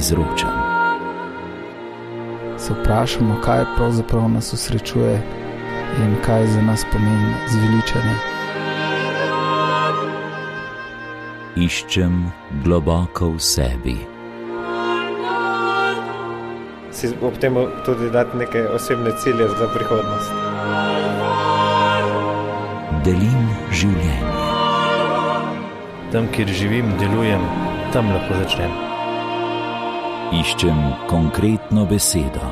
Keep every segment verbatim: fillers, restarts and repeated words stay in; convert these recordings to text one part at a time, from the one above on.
izročam. Se vprašamo, kaj pravzaprav nas osrečuje in kaj za nas pomeni zveličanje. Iščem globoko v sebi. Si ob tem tudi dati neke osebne cilje za prihodnost. Delim življenje. Tam, kjer živim, delujem, tam lahko začnem. Iščem konkretno besedo.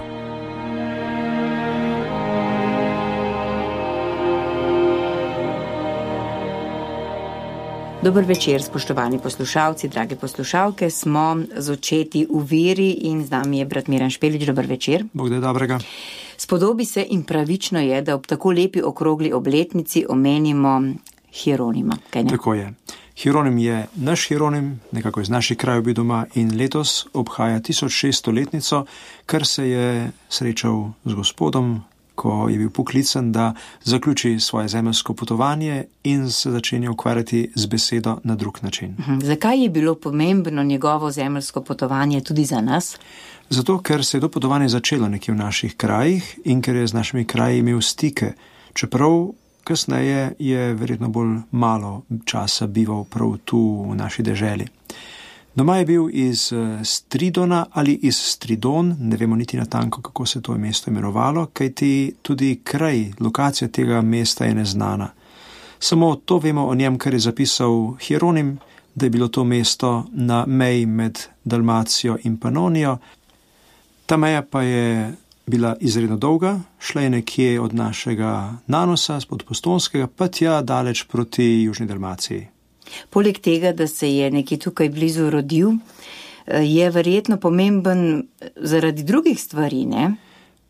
Dober večer, spoštovani poslušalci, drage poslušalke, smo z očeti v veri in z nami je brat Miran Špelič. Dober večer. Bog da je dobrega. Spodobi se in pravično je, da ob tako lepi okrogli obletnici omenimo Hieronima. Kaj ne? Tako je. Hieronim je naš Hieronim, nekako iz naših krajev bi doma in letos obhaja tisoč šeststo letnico, kar se je srečal z Gospodom, ko je bil poklican, da zaključi svoje zemeljsko potovanje in se začenja ukvarjati z besedo na drug način. Mhm. Zakaj je bilo pomembno njegovo zemeljsko potovanje tudi za nas? Zato, ker se je to potovanje začelo nekje v naših krajih in ker je z našimi kraji imel stike, čeprav kasneje je verjetno bolj malo časa bival prav tu v naši deželi. Doma je bil iz Stridona ali iz Stridon, ne vemo niti natanko, kako se to mesto imenovalo, kajti tudi kraj, lokacija tega mesta je neznana. Samo to vemo o njem, kar je zapisal Hieronim, da je bilo to mesto na meji med Dalmacijo in Panonijo. Ta meja pa je bila izredno dolga, šla je nekje od našega Nanosa, spod Postojnskega, pa tja daleč proti Južni Dalmaciji. Poleg tega, da se je nekje tukaj blizu rodil, je verjetno pomemben zaradi drugih stvari, ne?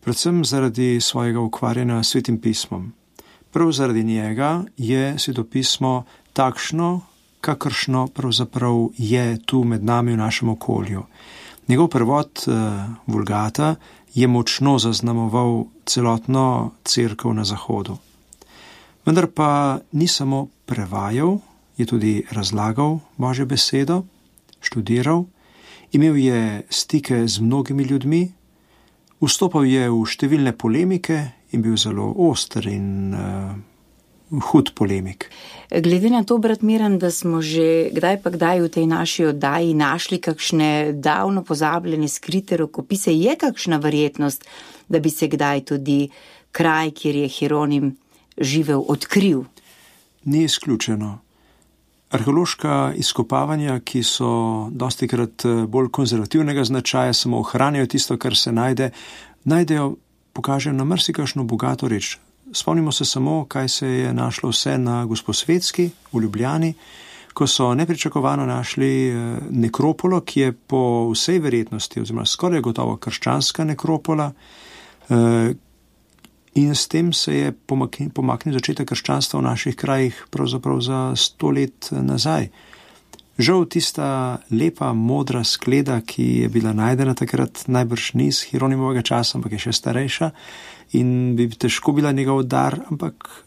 Predvsem zaradi svojega ukvarjanja s Svetim pismom. Prav zaradi njega je Sveto pismo takšno, kakršno pravzaprav je tu med nami v našem okolju. Njegov prevod Vulgata je močno zaznamoval celotno cerkev na Zahodu. Vendar pa ni samo prevajal, je tudi razlagal Božjo besedo, študiral, imel je stike z mnogimi ljudmi, vstopal je v številne polemike in bil zelo oster in uh, hud polemik. Glede na to, brat Miran, da smo že kdaj pa kdaj v tej naši oddaji našli kakšne davno pozabljene skrite rokopise, je kakšna verjetnost, da bi se kdaj tudi kraj, kjer je Hieronim živel, odkril? Ni izključeno. Arheološka izkopavanja, ki so dostikrat bolj konzervativnega značaja, samo ohranjajo tisto, kar se najde, najdejo, pokažejo na marsikakšno bogato reč. Spomnimo se samo, kaj se je našlo vse na Gosposvetski v Ljubljani, ko so nepričakovano našli nekropolo, ki je po vsej verjetnosti, oziroma skoraj gotovo krščanska nekropola, in s tem se je pomaknil, pomaknil začetek krščanstva v naših krajih pravzaprav za sto let nazaj. Žal tista lepa, modra skleda, ki je bila najdena takrat, najbrž ni iz Hieronimovega časa, ampak je še starejša in bi težko bila njegov dar, ampak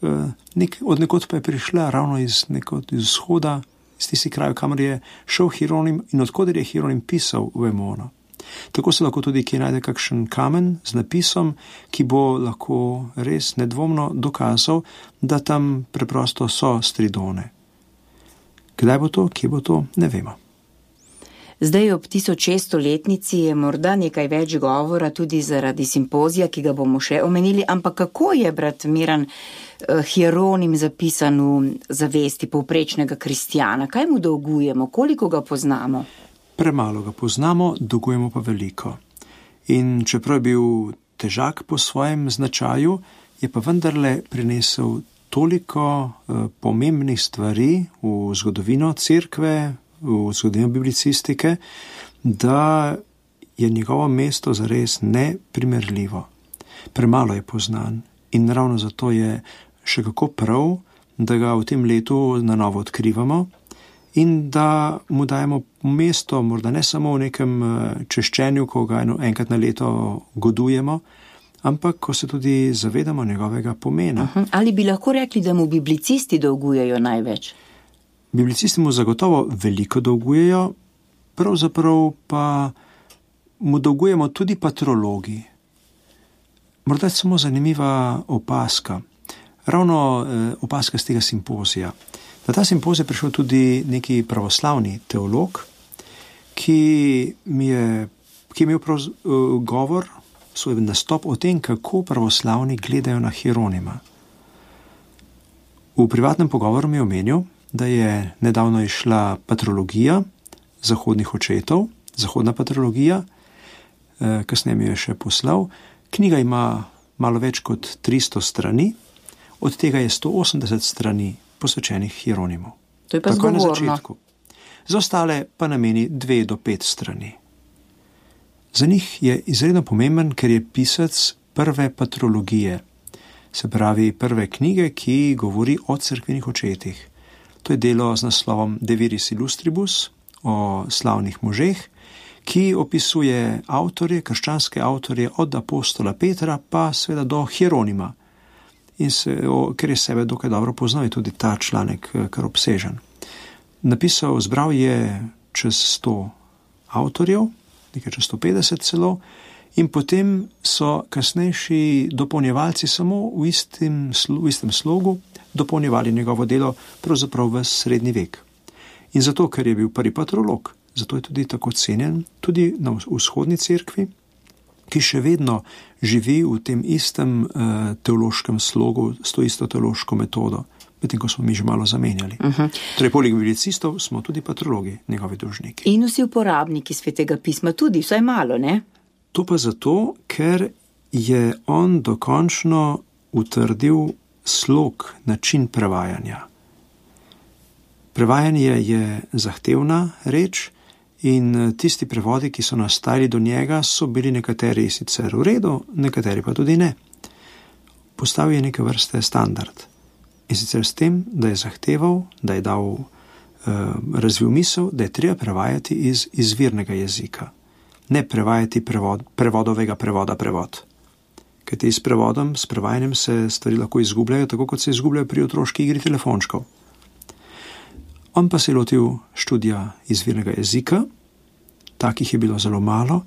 nek, od nekod pa je prišla ravno iz, nekod, iz vzhoda, iz tisti kraj, kamor je šel Hieronim in odkoder je Hieronim pisal v Emono. Tako se lahko tudi kje najde kakšen kamen z napisom, ki bo lahko res nedvomno dokazal, da tam preprosto so Stridone. Kdaj bo to, kje bo to, ne vemo. Zdaj ob tisoč šeststo letnici je morda nekaj več govora tudi zaradi simpozija, ki ga bomo še omenili, ampak kako je, brat Miran, Hieronim zapisan v zavesti povprečnega kristjana? Kaj mu dolgujemo? Koliko ga poznamo? Premalo ga poznamo, dolgujemo pa veliko. In čeprav je bil težak po svojem značaju, je pa vendarle prinesel toliko uh, pomembnih stvari v zgodovino cerkve, v zgodovino biblicistike, da je njegovo mesto zares neprimerljivo. Premalo je poznan in ravno zato je še kako prav, da ga v tem letu na novo odkrivamo in da mu dajemo mesto, morda ne samo v nekem češčenju, ko ga enkrat na leto godujemo, ampak ko se tudi zavedamo njegovega pomena. Uh-huh. Ali bi lahko rekli, da mu biblicisti dolgujejo največ? Biblicisti mu zagotovo veliko dolgujejo, pravzaprav pa mu dolgujemo tudi patrologi. Morda je samo zanimiva opaska, ravno eh, opaska z tega simpozija. Na ta simpozij je prišel tudi neki pravoslavni teolog, ki mi je, ki je imel prav, uh, govor, svoj nastop o tem, kako pravoslavni gledajo na Hieronima. V privatnem pogovoru mi je omenil, da je nedavno išla patrologija zahodnih očetov, zahodna patrologija, eh, kasneje mi je še poslal. Knjiga ima malo več kot tristo strani, od tega je sto osemdeset strani posvečenih Hieronimu. To je pa Tako je na zgovorno. začetku. Za ostale pa nameni dve do pet strani. Za njih je izredno pomemben, ker je pisec prve patrologije, se pravi prve knjige, ki govori o cerkvenih očetih. To je delo z naslovom De Viris Illustribus, o slavnih možeh, ki opisuje avtorje, krščanske avtorje od apostola Petra pa seveda do Hieronima. In se, o, ker je sebe dokaj dobro poznal, je tudi ta članek kar obsežen. Napisal, zbral je čez sto avtorjev, nekaj čez sto petdeset celo, in potem so kasnejši dopolnjevalci samo v istem, v istem slogu dopolnjevali njegovo delo pravzaprav v srednji vek. In zato, ker je bil prvi patrolog, zato je tudi tako cenjen, tudi na vzhodni cerkvi, ki še vedno živi v tem istem uh, teološkem slogu, s to isto teološko metodo, medtem ko smo mi že malo zamenjali. Uh-huh. Torej, poleg biblicistov smo tudi patrologi, njegovi dolžniki. In vsi uporabniki Svetega pisma tudi, vsaj malo, ne? To pa zato, ker je on dokončno utrdil slog, način prevajanja. Prevajanje je zahtevna reč in tisti prevodi, ki so nastajali do njega, so bili nekateri sicer v redu, nekateri pa tudi ne. Postavil je neke vrste standard. In sicer s tem, da je zahteval, da je dal uh, razvil misel, da je treba prevajati iz izvirnega jezika. Ne prevajati prevod, prevodovega prevoda prevod. Kajti s prevodom, s prevajanjem se stvari lahko izgubljajo, tako kot se izgubljajo pri otroški igri telefončkov. On pa se je lotil študija izvirnega jezika, takih je bilo zelo malo,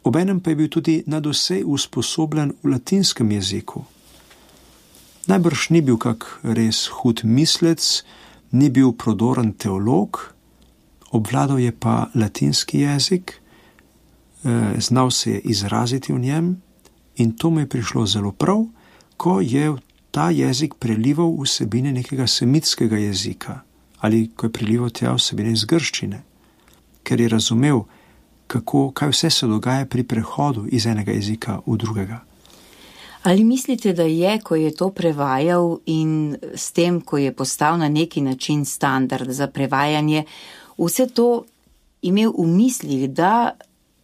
obenem pa je bil tudi nadvse usposobljen v latinskem jeziku. Najbrž ni bil kak res hud mislec, ni bil prodoren teolog, obvladal je pa latinski jezik, znal se je izraziti v njem in to mu je prišlo zelo prav, ko je ta jezik prelival vsebine nekega semitskega jezika ali ko je prelival tja vsebine iz grščine, ker je razumel, kako, kaj vse se dogaja pri prehodu iz enega jezika v drugega. Ali mislite, da je, ko je to prevajal in s tem, ko je postal na neki način standard za prevajanje, vse to imel v mislih, da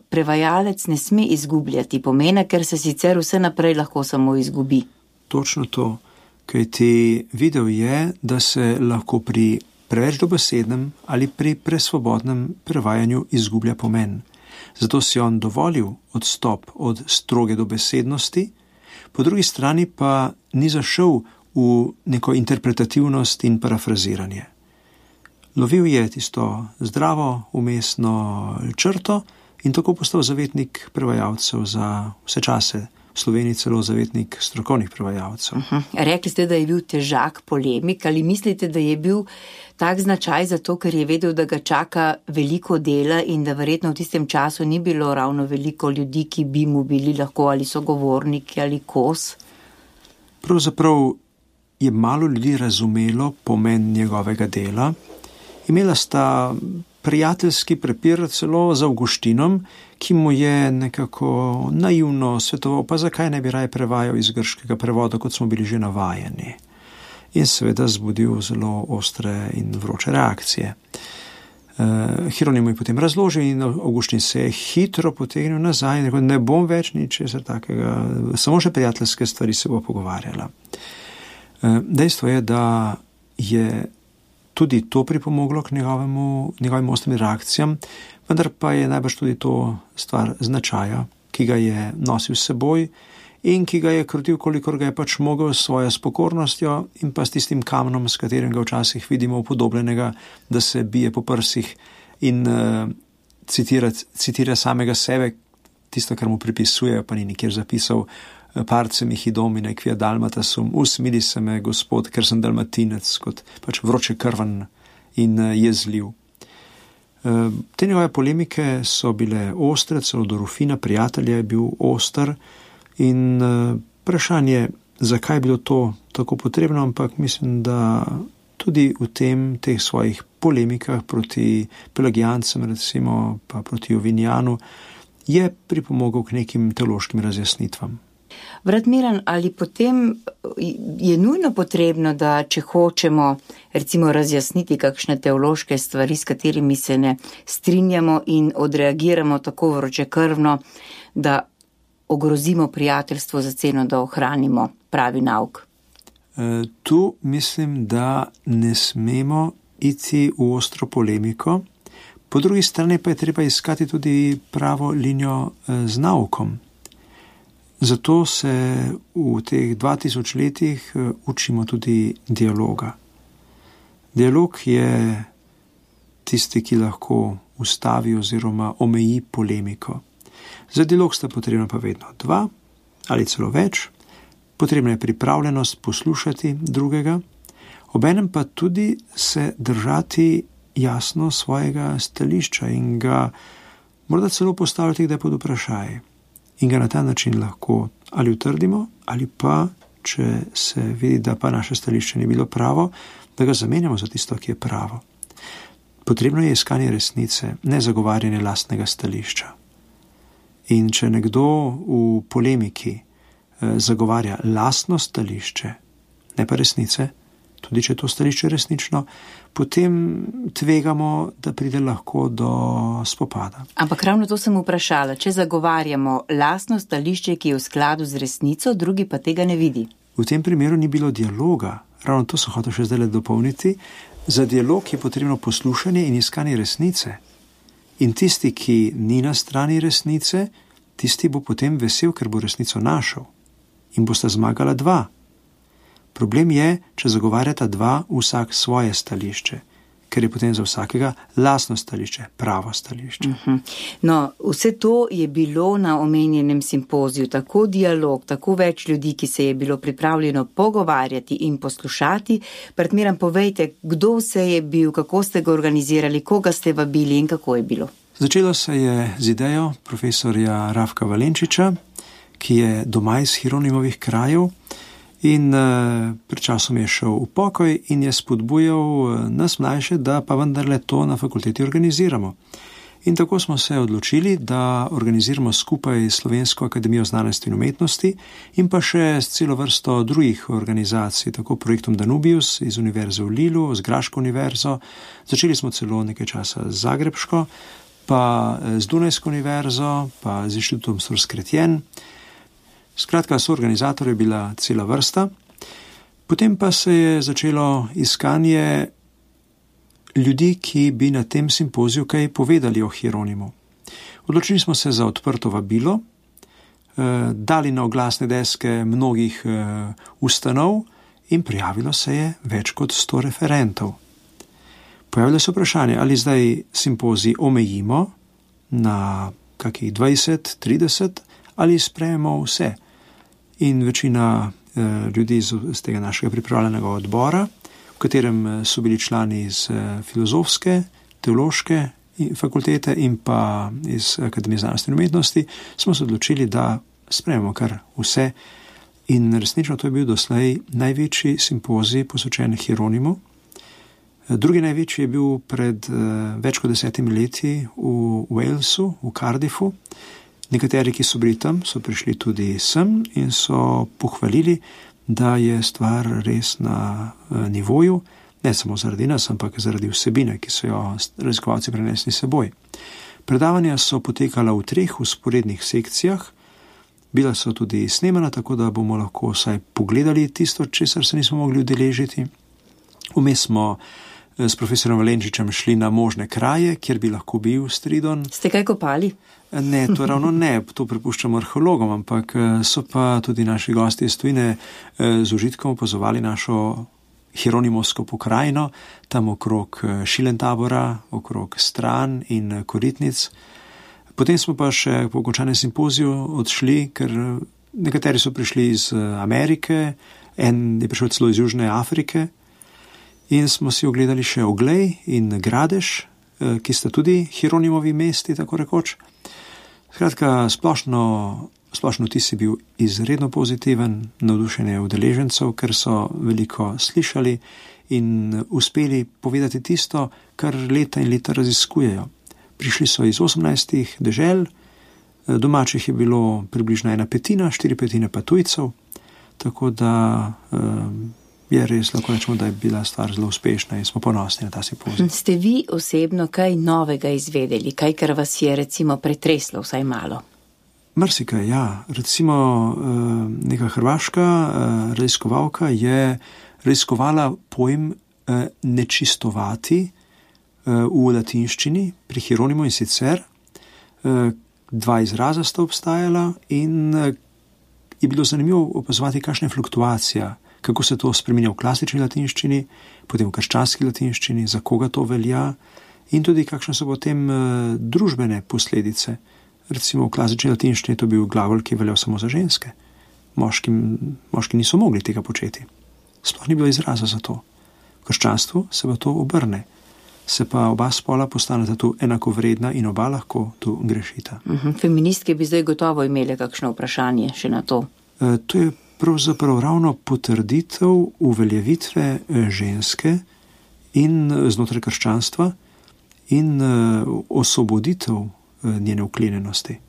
prevajalec ne sme izgubljati pomena, ker se sicer vse naprej lahko samo izgubi? Točno to, kajti videl je, da se lahko pri preveč dobesednem ali pri presvobodnem prevajanju izgublja pomen. Zato si on dovolil odstop od stroge dobesednosti, po drugi strani pa ni zašel v neko interpretativnost in parafraziranje. Lovil je tisto zdravo, umestno črto in tako postal zavetnik prevajalcev za vse čase. V Sloveniji celo zavetnik strokovnih prevajalcev. Uh-huh. Rekli ste, da je bil težak polemik, ali mislite, da je bil tak značaj zato, ker je vedel, da ga čaka veliko dela in da verjetno v tistem času ni bilo ravno veliko ljudi, ki bi mu bili lahko ali sogovorniki ali kos? Pravzaprav je malo ljudi razumelo pomen njegovega dela. Imela sta prijateljski prepir celo z Avguštinom, ki mu je nekako naivno svetoval, pa zakaj ne bi raje prevajal iz grškega prevoda, kot smo bili že navajeni. In seveda zbudil zelo ostre in vroče reakcije. Uh, Hieronim je potem razložil in Avguštin se je hitro potegnil nazaj in rekel, ne bom več ničesar takega, samo še prijateljske stvari se bo pogovarjala. Uh, dejstvo je, da je tudi to pripomoglo k njegovemu, njegovim ostrim reakcijam, vendar pa je najbrž tudi to stvar značaja, ki ga je nosil s seboj in ki ga je krutil, kolikor ga je pač mogel s svojo spokornostjo in pa s tistim kamnom, s katerim ga včasih vidimo upodobljenega, da se bije po prsih in uh, citira, citira samega sebe, tisto, kar mu pripisujejo, pa ni nikjer zapisal, parcem jih domine, quia dalmatasum, usmili se me, Gospod, ker sem dalmatinec, kot pač vroče krvan in jezljiv. Te njegove polemike so bile ostre, celo do Rufina, prijatelja je bil oster in vprašanje, zakaj je bilo to tako potrebno, ampak mislim, da tudi v tem, teh svojih polemikah proti pelagijancem, recimo pa proti Jovinjanu, je pripomogel k nekim teološkim razjasnitvam. Brat Miran, ali potem je nujno potrebno, da če hočemo recimo razjasniti kakšne teološke stvari, s katerimi se ne strinjamo in odreagiramo tako vročekrvno, da ogrozimo prijateljstvo za ceno, da ohranimo pravi nauk? E, tu mislim, da ne smemo iti v ostro polemiko, po drugi strani pa je treba iskati tudi pravo linijo z naukom. Zato se v teh dva tisoč letih učimo tudi dialoga. Dialog je tisti, ki lahko ustavi oziroma omeji polemiko. Za dialog sta potrebna pa vedno dva ali celo več. Potrebna je pripravljenost poslušati drugega, obenem pa tudi se držati jasno svojega stališča in ga morda celo postavljati kdaj pod vprašaj. In ga na ta način lahko ali utrdimo, ali pa, če se vidi, da pa naše stališče ni bilo pravo, da ga zamenjamo za tisto, ki je pravo. Potrebno je iskanje resnice, ne zagovarjanje lastnega stališča. In če nekdo v polemiki eh, zagovarja lastno stališče, ne pa resnice, tudi če je to stališče resnično, potem tvegamo, da pride lahko do spopada. Ampak ravno to sem vprašala, če zagovarjamo lastno stališče, ki je v skladu z resnico, drugi pa tega ne vidi. V tem primeru ni bilo dialoga, ravno to sem hotel še zdaj dopolniti. Za dialog je potrebno poslušanje in iskanje resnice. In tisti, ki ni na strani resnice, tisti bo potem vesel, ker bo resnico našel. In bosta zmagala dva. Problem je, če zagovarjata dva vsak svoje stališče, ker je potem za vsakega lastno stališče, pravo stališče. Uh-huh. No, vse to je bilo na omenjenem simpoziju, tako dialog, tako več ljudi, ki se je bilo pripravljeno pogovarjati in poslušati. Brat Miran, povejte, kdo vse je bil, kako ste ga organizirali, koga ste vabili in kako je bilo? Začelo se je z idejo profesorja Rafka Valenčiča, ki je doma iz Hieronimovih krajev, in uh, pred časom je šel v pokoj in je spodbujal uh, nas mlajše, da pa vendarle to na fakulteti organiziramo. In tako smo se odločili, da organiziramo skupaj Slovensko akademijo znanosti in umetnosti in pa še s celo vrsto drugih organizacij, tako projektom Danubius iz Univerze v Lilu, z Graško univerzo, začeli smo celo nekaj časa z Zagrebško, pa z Dunajsko univerzo, pa z Inštitutom Sors Chrétien. Skratka, soorganizator je bila cela vrsta. Potem pa se je začelo iskanje ljudi, ki bi na tem simpoziju kaj povedali o Hieronimu. Odločili smo se za odprto vabilo, eh, dali na oglasne deske mnogih eh, ustanov in prijavilo se je več kot sto referentov. Pojavilo se vprašanje, ali zdaj simpozij omejimo na kakih dvajset, trideset ali sprejemo vse. In večina eh, ljudi iz, iz tega našega pripravljenega odbora, v katerem so bili člani iz eh, filozofske, teološke fakultete in pa iz Akademije znanosti in umetnosti, smo se odločili, da sprejmemo kar vse. In resnično to je bil doslej največji simpozij posvečen Hieronimu. Drugi največji je bil pred eh, več kot desetimi leti v Walesu, v Cardiffu. Nekateri, ki so bili tam, so prišli tudi sem in so pohvalili, da je stvar res na nivoju, ne samo zaradi nas, ampak zaradi vsebine, ki so jo raziskovalci prenesli seboj. Predavanja so potekala v treh vzporednih sekcijah, bila so tudi snemana, tako da bomo lahko vsaj pogledali tisto, česar se nismo mogli udeležiti. Vmes smo s profesorom Valenčičem šli na možne kraje, kjer bi lahko bil Stridon. Ste kaj kopali? Ne, to ravno ne, to prepuščamo arheologom, ampak so pa tudi naši gosti iz tujine z užitkom opazovali našo hieronimovsko pokrajino, tam okrog Šilentabora, okrog Stran in Koritnic. Potem smo pa še po končanem simpoziju odšli, ker nekateri so prišli iz Amerike, en je prišel celo iz Južne Afrike in smo si ogledali še Oglej in Gradež, ki sta tudi Hieronimovi mesti, tako rekoč. Skratka, splošno, splošno vtis je bil izredno pozitiven, navdušenje udeležencev, ker so veliko slišali in uspeli povedati tisto, kar leta in leta raziskujejo. Prišli so iz osemnajstih dežel, domačih je bilo približno ena petina, štiri petine pa tujcev, tako da je res lahko rečemo, da je bila stvar zelo uspešna in smo ponosni na ta simpozij. Ste vi osebno kaj novega izvedeli, kaj, kar vas je recimo pretreslo vsaj malo? Marsikaj, ja. Recimo neka hrvaška raziskovalka je raziskovala pojem nečistovati v latinščini pri Hieronimu in sicer dva izraza sta obstajala in je bilo zanimivo opazovati, kakšna je fluktuacija, kako se to spreminja v klasični latinščini, potem v krščanski latinščini, za koga to velja in tudi kakšne so potem družbene posledice. Recimo v klasični latinščini je to bil glagol, ki je veljal samo za ženske. Moški, moški niso mogli tega početi. Sploh ni bilo izraza za to. V krščanstvu se pa to obrne. Se pa oba spola postaneta tu enakovredna in oba lahko tu grešita. Uh-huh. Feministke bi zdaj gotovo imele kakšno vprašanje še na to. E, to je pravzaprav ravno potrditev uveljavitve ženske in znotraj krščanstva in osvoboditev njene vklenjenosti.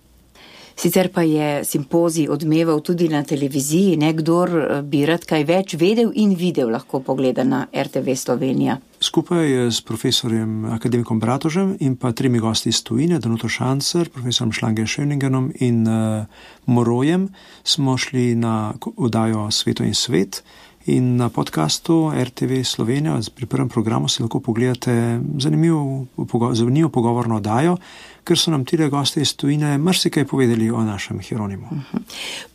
Sicer pa je simpozij odmeval tudi na televiziji, nekdor bi rad kaj več vedel in videl, lahko pogleda na R T V Slovenija. Skupaj s profesorjem akademikom Bratožem in pa tremi gosti iz tujine, Danuto Šancer, profesorom Schlange-Schöningenom in uh, Morojem, smo šli na oddajo Sveto in svet in na podcastu R T V Slovenija pri prvem programu si lahko pogledate zanimivo, zanimivo pogovorno oddajo, ker so nam tile goste iz tujine marsikaj povedali o našem Hieronimu.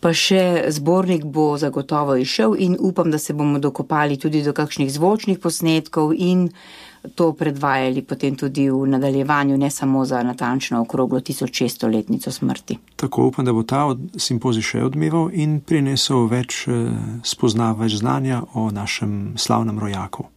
Pa še zbornik bo zagotovo išel in upam, da se bomo dokopali tudi do kakšnih zvočnih posnetkov in to predvajali potem tudi v nadaljevanju, ne samo za natančno okroglo tisoč šeststo letnico smrti. Tako upam, da bo ta simpozij še odmeval in prinesel več spoznav, več znanja o našem slavnem rojaku.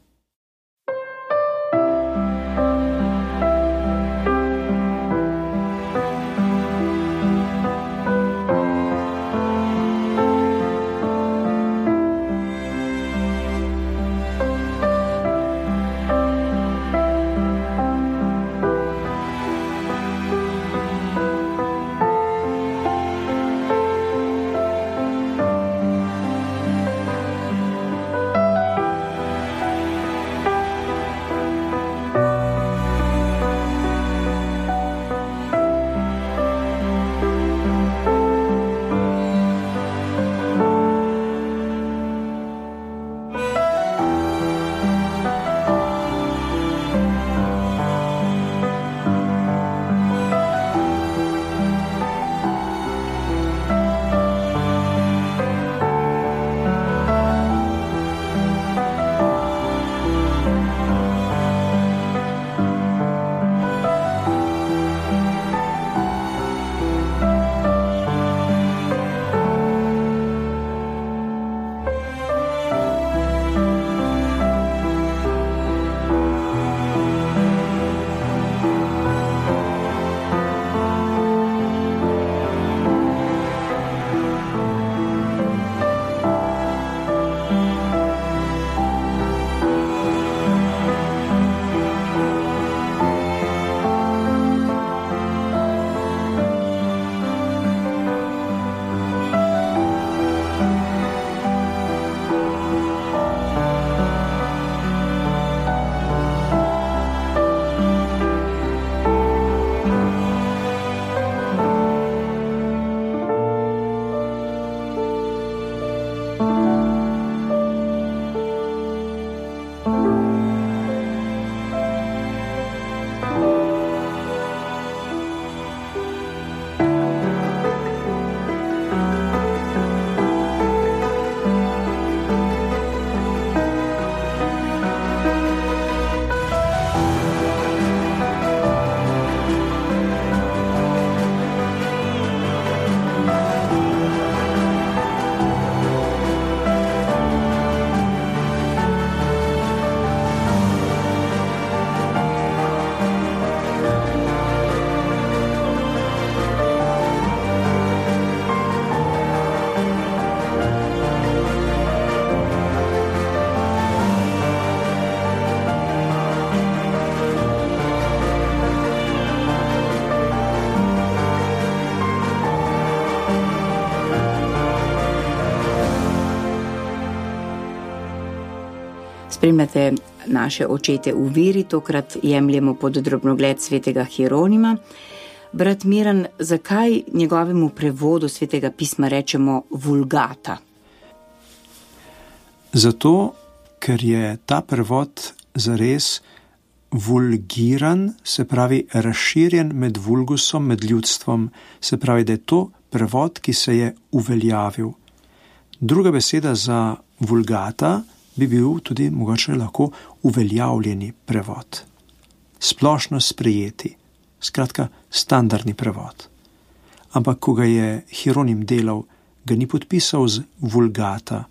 Spremljate naše očete v veri, tokrat jemljemo pod drobnogled svetega Hieronima. Brat Miran, zakaj njegovemu prevodu svetega pisma rečemo vulgata? Zato, ker je ta prevod zares vulgiran, se pravi razširjen med vulgusom, med ljudstvom, se pravi, da je to prevod, ki se je uveljavil. Druga beseda za vulgata bi bil tudi mogoče lahko uveljavljeni prevod. Splošno sprejeti, skratka standardni prevod. Ampak, ko ga je Hieronim delal, ga ni podpisal z vulgata,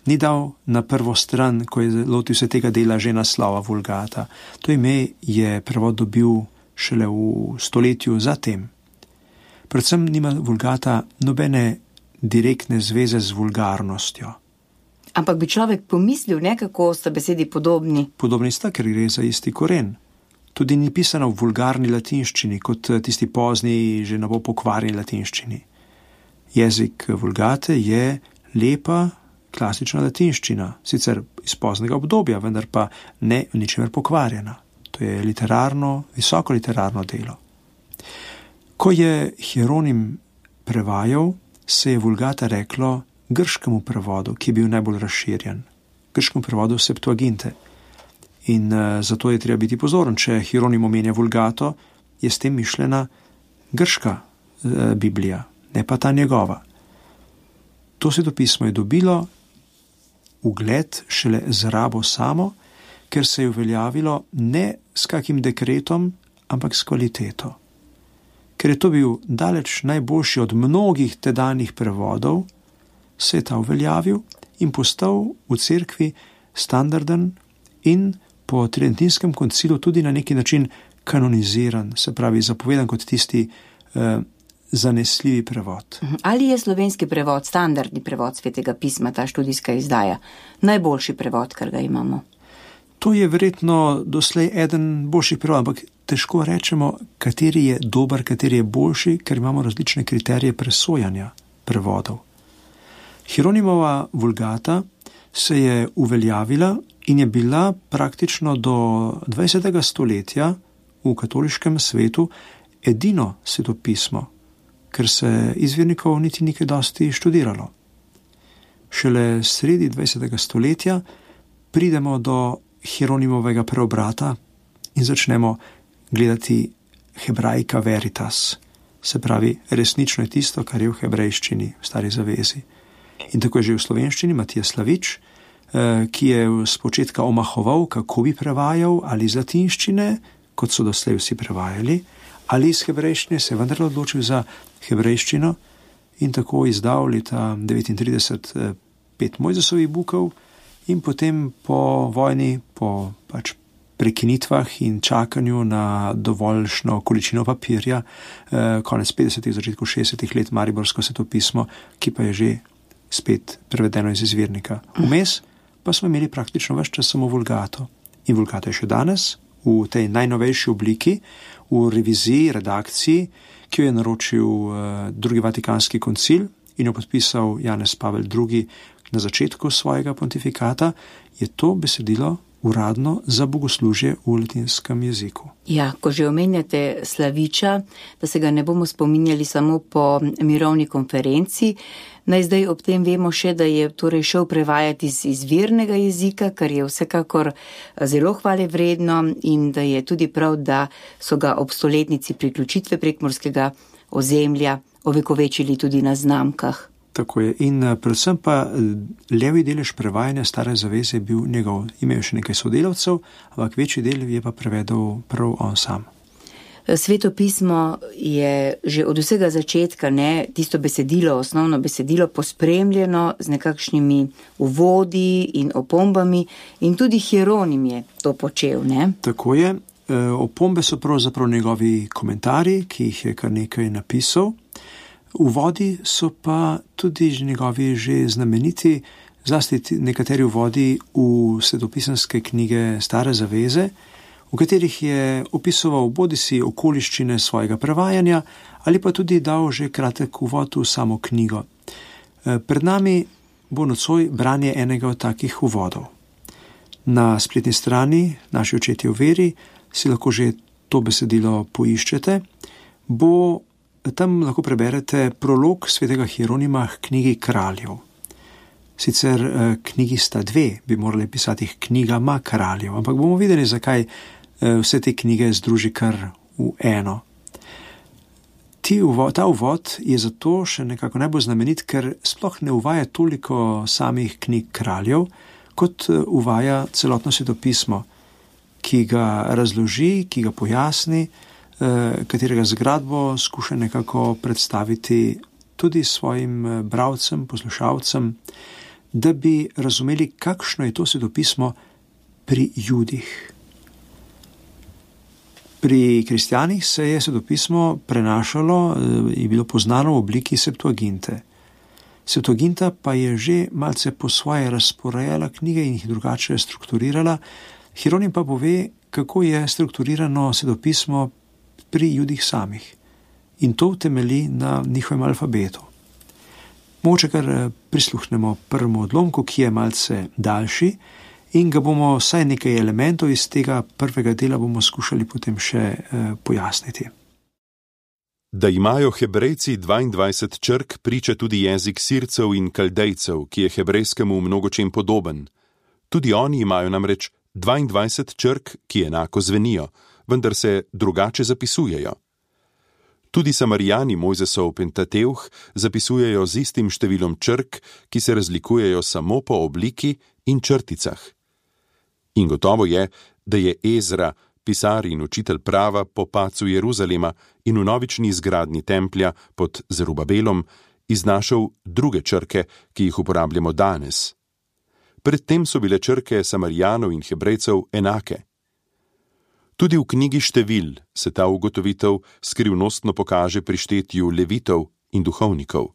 ni dal na prvo stran, ko je lotil se tega dela, že naslova vulgata. To ime je prevod dobil šele v stoletju zatem. Predvsem nima vulgata nobene direktne zveze z vulgarnostjo. Ampak bi človek pomislil, nekako sta besedi podobni. Podobni sta, ker gre za isti koren. Tudi ni pisano v vulgarni latinščini, kot tisti pozni, že na bo pokvarjeni latinščini. Jezik vulgate je lepa, klasična latinščina, sicer iz poznega obdobja, vendar pa ne v ničemer pokvarjena. To je literarno, visoko literarno delo. Ko je Hieronim prevajal, se je vulgata reklo grškemu prevodu, ki je bil najbolj razširjen, grškemu prevodu Septuaginte. In uh, zato je treba biti pozoren, če Hieronim omenja vulgato, je s tem mišljena grška uh, Biblija, ne pa ta njegova. To svetopismo je dobilo ugled šele z rabo samo, ker se je uveljavilo ne s kakim dekretom, ampak s kvaliteto. Ker je to bil daleč najboljši od mnogih tedanjih prevodov, se je ta uveljavil in postal v cerkvi standarden in po Tridentinskem koncilu tudi na neki način kanoniziran, se pravi zapovedan kot tisti eh, zanesljivi prevod. Ali je slovenski prevod, standardni prevod svetega pisma, ta študijska izdaja, najboljši prevod, kar ga imamo? To je verjetno doslej eden boljših prevodov, ampak težko rečemo, kateri je dober, kateri je boljši, ker imamo različne kriterije presojanja prevodov. Hieronimova vulgata se je uveljavila in je bila praktično do dvajsetega stoletja v katoliškem svetu edino svetopismo, ker se izvirnikov niti nikaj dosti študiralo. Šele sredi dvajsetega stoletja pridemo do Hieronimovega preobrata in začnemo gledati hebraika veritas, se pravi resnično je tisto, kar je v hebrejščini, v Stari zavezi. In tako je že v slovenščini Matija Slavič, ki je z početka omahoval, kako bi prevajal, ali iz latinščine, kot so doslej vsi prevajali, ali iz hebrejščine, se je vendar odločil za hebrejščino in tako izdal leta devetintrideset pet Mojzesovih bukov in potem po vojni, po pač prekinitvah in čakanju na dovoljšno količino papirja, konec petdesetih, začetku šestdesetih let mariborsko svetopismo, ki pa je že spet prevedeno iz izvirnika. Vmes pa smo imeli praktično ves čas samo vulgato. In vulgato je še danes v tej najnovejši obliki, v reviziji, redakciji, ki jo je naročil uh, drugi Vatikanski koncil in jo podpisal Janez Pavel drugi na začetku svojega pontifikata, je to besedilo uradno za bogoslužje v latinskem jeziku. Ja, ko že omenjate Slaviča, da se ga ne bomo spominjali samo po mirovni konferenci, naj zdaj ob tem vemo še, da je torej šel prevajati iz izvirnega jezika, kar je vsekakor zelo hvale vredno in da je tudi prav, da so ga ob stoletnici priključitve prekmurskega ozemlja ovekovečili tudi na znamkah. Tako je. In predvsem pa levi delež prevajanja Stare zaveze je bil njegov. Imel še nekaj sodelavcev, ampak večji del je pa prevedel prav on sam. Sveto pismo je že od vsega začetka, ne, tisto besedilo, osnovno besedilo pospremljeno z nekakšnimi uvodi in opombami in tudi Hieronim je to počel, ne? Tako je. Opombe so pravzaprav njegovi komentarji, ki jih je kar nekaj napisal. Uvodi so pa tudi njegovi že znameniti, zlasti nekateri uvodi v svetopisanske knjige Stare zaveze, v katerih je opisoval bodisi okoliščine svojega prevajanja ali pa tudi dal že kratek uvod v samo knjigo. Pred nami bo nocoj branje enega od takih uvodov. Na spletni strani Naši očetje v veri si lahko že to besedilo poiščete. Bo, tam lahko preberete prolog svetega Hieronima k knjigi Kraljev. Sicer eh, knjigi sta dve, bi morali pisati knjigama kraljev, ampak bomo videli, zakaj eh, vse te knjige združi kar v eno. Ti uvod, ta uvod je zato še nekako najbolj znamenit, ker sploh ne uvaja toliko samih knjig kraljev, kot uvaja celotno svetopismo, ki ga razloži, ki ga pojasni, eh, katerega zgradbo skuša nekako predstaviti tudi svojim bralcem, poslušalcem, da bi razumeli, kakšno je to svetopismo pri Judih. Pri kristjanih se je svetopismo prenašalo in bilo poznano v obliki Septuaginte. Septuaginta pa je že malce po svoje razporejala knjige in jih drugače strukturirala. Hieronim pa pove, kako je strukturirano svetopismo pri Judih samih. In to temelji na njihovem alfabetu. Mogoče kar prisluhnemo prvemu odlomku, ki je malce daljši, in ga bomo vsaj nekaj elementov iz tega prvega dela bomo skušali potem še eh, pojasniti. Da imajo Hebrejci dvaindvajset črk, priča tudi jezik Sircev in Kaldejcev, ki je hebrejskemu v mnogočem podoben. Tudi oni imajo namreč dvaindvajset črk, ki enako zvenijo, vendar se drugače zapisujejo. Tudi Samarijani Mojzesov Pentateuh zapisujejo z istim številom črk, ki se razlikujejo samo po obliki in črticah. In gotovo je, da je Ezra, pisar in učitelj prava po padcu Jeruzalema in v novični izgradnji templja pod Zerubabelom, iznašel druge črke, ki jih uporabljamo danes. Predtem so bile črke Samarijanov in Hebrejcev enake. Tudi v knjigi Števil se ta ugotovitev skrivnostno pokaže pri štetju levitov in duhovnikov.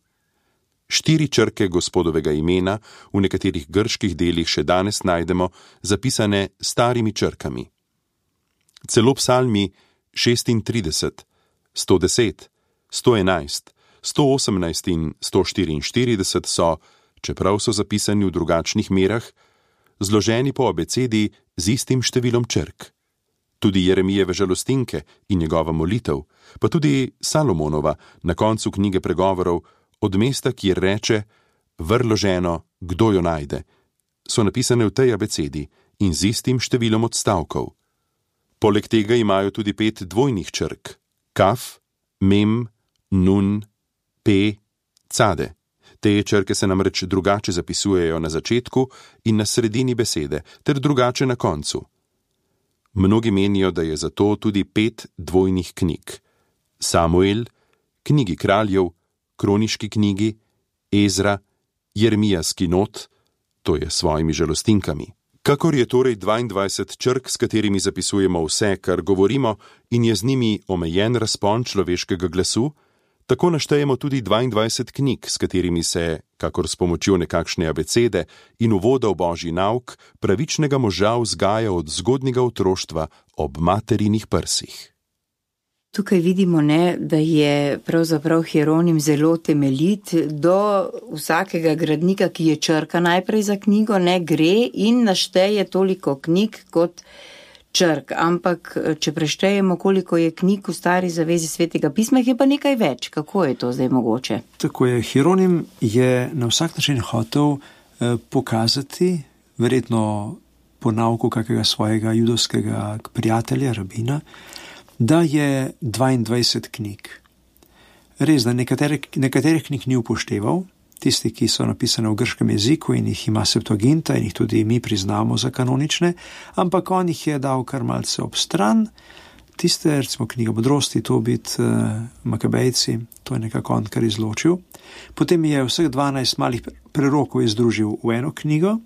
Štiri črke Gospodovega imena v nekaterih grških delih še danes najdemo zapisane starimi črkami. Celo psalmi šestintrideset, sto deset, sto enajst, sto osemnajst in sto štiriinštirideset so, čeprav so zapisani v drugačnih merah, zloženi po abecedi z istim številom črk. Tudi Jeremijeve žalostinke in njegova molitev, pa tudi Salomonova na koncu knjige pregovorov, od mesta, kjer reče, vrlo ženo, kdo jo najde, so napisane v tej abecedi in z istim številom odstavkov. Poleg tega imajo tudi pet dvojnih črk, kaf, mem, nun, pe, cade. Te črke se namreč drugače zapisujejo na začetku in na sredini besede, ter drugače na koncu. Mnogi menijo, da je zato tudi pet dvojnih knjig. Samuel, knjigi kraljev, kroniški knjigi, Ezra, Jeremijski not, to je s svojimi žalostinkami. Kakor je torej dvaindvajset črk, s katerimi zapisujemo vse, kar govorimo, in je z njimi omejen razpon človeškega glasu, tako naštejemo tudi dvaindvajset knjig, s katerimi se, kakor s pomočjo nekakšne abecede in uvoda v Božji nauk, pravičnega moža vzgaja od zgodnjega otroštva ob materinih prsih. Tukaj vidimo, ne, da je pravzaprav Hieronim zelo temeljit do vsakega gradnika, ki je črka najprej za knjigo, ne gre in našteje toliko knjig kot črk. Ampak, če preštejemo, koliko je knjig v Stari zavezi Svetega pisma, je pa nekaj več. Kako je to zdaj mogoče? Tako je, Hieronim je na vsak način hotel eh, pokazati, verjetno po nauku kakega svojega judovskega prijatelja, rabina, da je dvaindvajset knjig. Res, da nekatere, nekaterih knjig ni upošteval, tisti, ki so napisane v grškem jeziku in jih ima Septuaginta in jih tudi mi priznamo za kanonične, ampak on jih je dal kar malce ob stran. Tiste, recimo knjiga modrosti, Tobit, Makabejci, to je nekako on kar izločil. Potem je vseh dvanajst malih prerokov združil v eno knjigo.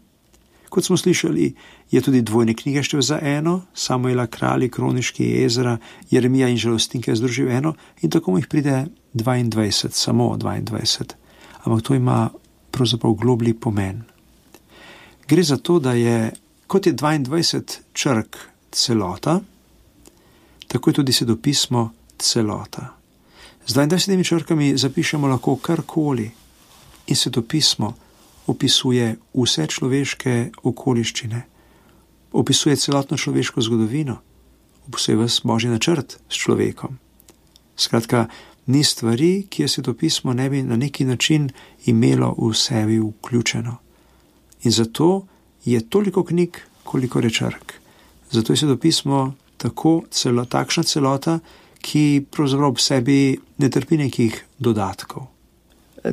Kot smo slišali, je tudi dvojne knjige štev za eno, Samuela kralji, kroniški, Ezra, Jeremija in žalostinke združil eno in tako mu jih pride dvaindvajset, samo dvaindvajset. Ampak to ima pravzaprav globlji pomen. Gre za to, da je, kot je dvaindvajset črk celota, tako je tudi svetopismo celota. Z dvaindvajsetimi črkami zapišemo lahko karkoli in svetopismo opisuje vse človeške okoliščine, opisuje celotno človeško zgodovino, opisuje vas Božji načrt s človekom. Skratka, ni stvari, ki je svetopismo ne bi na neki način imelo v sebi vključeno. In zato je toliko knjig, koliko je črk. Zato je svetopismo tako celo, takšna celota, ki pravzaprav v sebi ne trpi nekih dodatkov.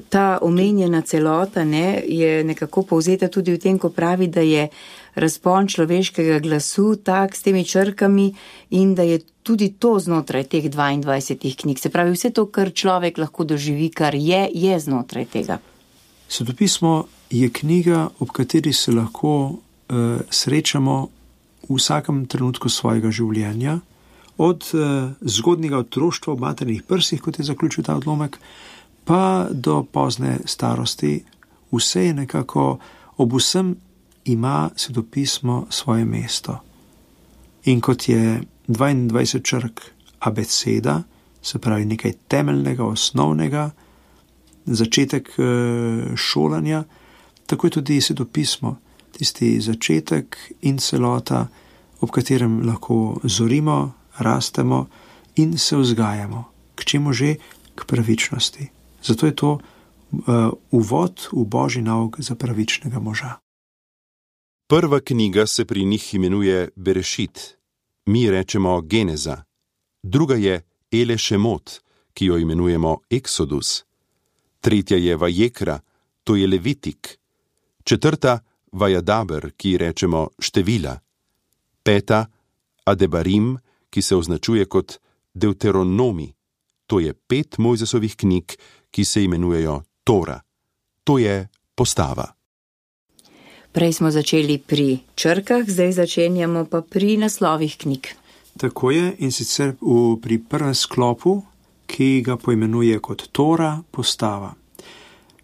Ta omenjena celota ne, je nekako povzeta tudi v tem, ko pravi, da je razpon človeškega glasu tak s temi črkami in da je tudi to znotraj teh dvaindvajsetih knjig. Se pravi, vse to, kar človek lahko doživi, kar je, je znotraj tega. Svetopismo je knjiga, ob kateri se lahko uh, srečamo v vsakem trenutku svojega življenja, od uh, zgodnjega otroštva v maternih prsih, kot je zaključil ta odlomek, pa do pozne starosti. Vse je nekako, ob vsem ima svetopismo svoje mesto. In kot je dvaindvajset črk abeceda, se pravi nekaj temeljnega, osnovnega, začetek šolanja, tako je tudi svetopismo, tisti začetek in celota, ob katerem lahko zorimo, rastemo in se vzgajamo. K čemu že? K pravičnosti. Zato je to uh, uvod v Božji nauk za pravičnega moža. Prva knjiga se pri njih imenuje Berešit, mi rečemo Geneza. Druga je Ele Šemot, ki jo imenujemo Eksodus. Tretja je Vajekra, to je Levitik. Četrta Vajadaber, ki rečemo Števila. Peta Adebarim, ki se označuje kot Deuteronomi, to je pet Mojzesovih knjig, ki se imenujejo Tora. To je postava. Prej smo začeli pri črkah, zdaj začenjamo pa pri naslovih knjig. Tako je, in sicer v, pri prvem sklopu, ki ga poimenuje kot Tora, postava.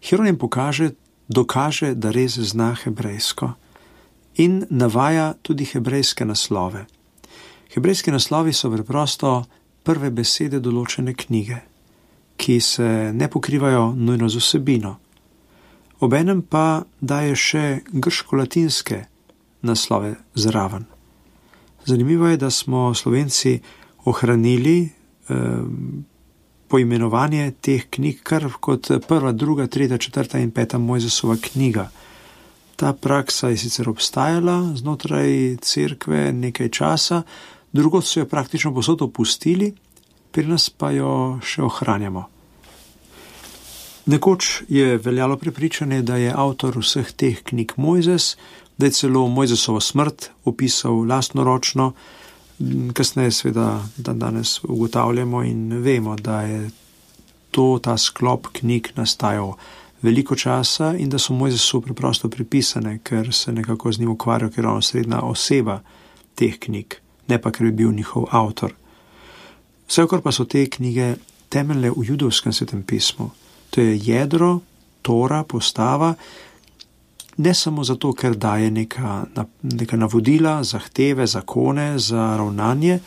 Hieronim pokaže, dokaže, da res zna hebrejsko in navaja tudi hebrejske naslove. Hebrejski naslovi so preprosto prve besede določene knjige, ki se ne pokrivajo nujno z vsebino. Obenem pa daje še grško-latinske naslove zraven. Zanimivo je, da smo Slovenci ohranili eh, poimenovanje teh knjig kar kot prva, druga, tretja, četrta in peta Mojzesova knjiga. Ta praksa je sicer obstajala znotraj cerkve nekaj časa, drugod so jo praktično povsod opustili, pri nas pa jo še ohranjamo. Nekoč je veljalo prepričanje, da je avtor vseh teh knjig Mojzes, da je celo Mojzesovo smrt opisal lastnoročno, kasneje seveda dan danes ugotavljamo in vemo, da je to, ta sklop knjig nastajal veliko časa in da so Mojzesu preprosto pripisane, ker se nekako z njim ukvarjal, ker je on srednja oseba teh knjig, ne pa ker bi bil njihov avtor. Vsekakor pa so te knjige temeljne v judovskem svetem pismu. To je jedro, Tora, postava, ne samo zato, ker daje neka, neka navodila, zahteve, zakone za ravnanje,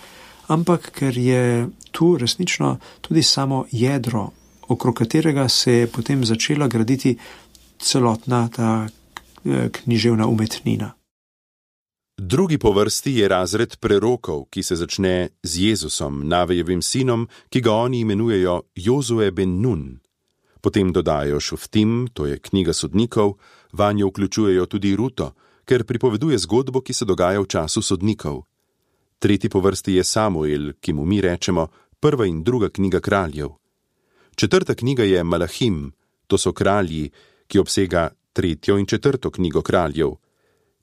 ampak ker je tu resnično tudi samo jedro, okrog katerega se je potem začela graditi celotna ta književna umetnina. Drugi po vrsti je razred prerokov, ki se začne z Jezusom, Navejevim sinom, ki ga oni imenujejo Jozue ben Nun. Potem dodajo Šuftim, to je knjiga sodnikov, vanjo vključujejo tudi Ruto, ker pripoveduje zgodbo, ki se dogaja v času sodnikov. Tretji po vrsti je Samuel, ki mu mi rečemo prva in druga knjiga kraljev. Četrta knjiga je Malahim, to so kralji, ki obsega tretjo in četrto knjigo kraljev.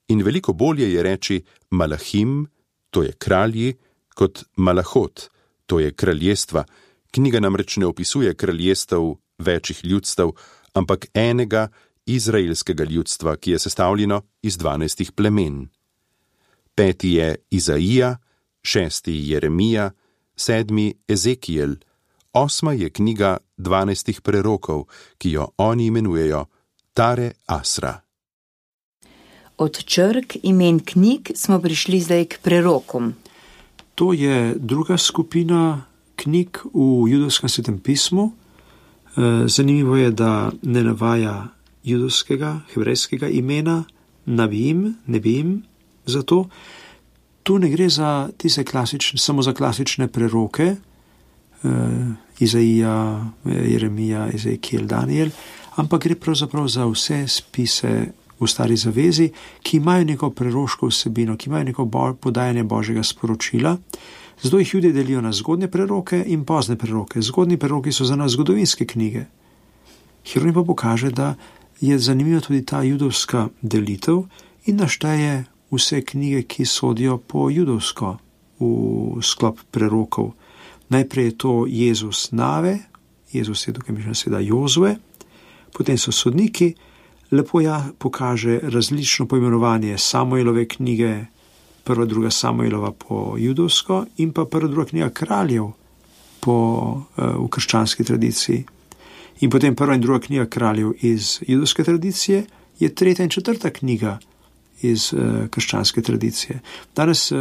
In veliko bolje je reči Malahim, to je kralji, kot Malahot, to je kraljestva. Knjiga namreč ne opisuje kraljestev večjih ljudstev, ampak enega izraelskega ljudstva, ki je sestavljeno iz dvanajstih plemen. Peti je Izaija, šesti Jeremija, sedmi Ezekiel, osma je knjiga dvanajstih prerokov, ki jo oni imenujejo Tare Asra. Od črk imen knjig smo prišli zdaj k prerokom. To je druga skupina knjig v judovskem svetem pismu. Zanimivo je, da ne navaja judovskega, hebrejskega imena, Nabim, Nebim, Zato tu ne gre za tiste klasične, samo za klasične preroke, uh, Izaija, Jeremija, Ezekiel, Daniel, ampak gre pravzaprav za vse spise v Stari zavezi, ki imajo neko preroško vsebino, ki imajo neko bo, podajanje Božjega sporočila. Zato jih Judje delijo na zgodnje preroke in pozne preroke. Zgodnji preroki so za nas zgodovinske knjige. Hieronim pa pokaže, da je zanimiva tudi ta judovska delitev in našteje vse knjige, ki sodijo po judovsko v sklop prerokov. Najprej je to Jezus Nave, Jezus je tukaj mišljeno seveda Jozue, potem so sodniki, lepo ja pokaže različno poimenovanje Samuelove knjige, prva, druga Samuelova po judovsko in pa prva, druga knjiga kraljev po, v krščanski tradiciji. In potem prva in druga knjiga kraljev iz judovske tradicije je tretja in četrta knjiga iz uh, krščanske tradicije. Danes uh,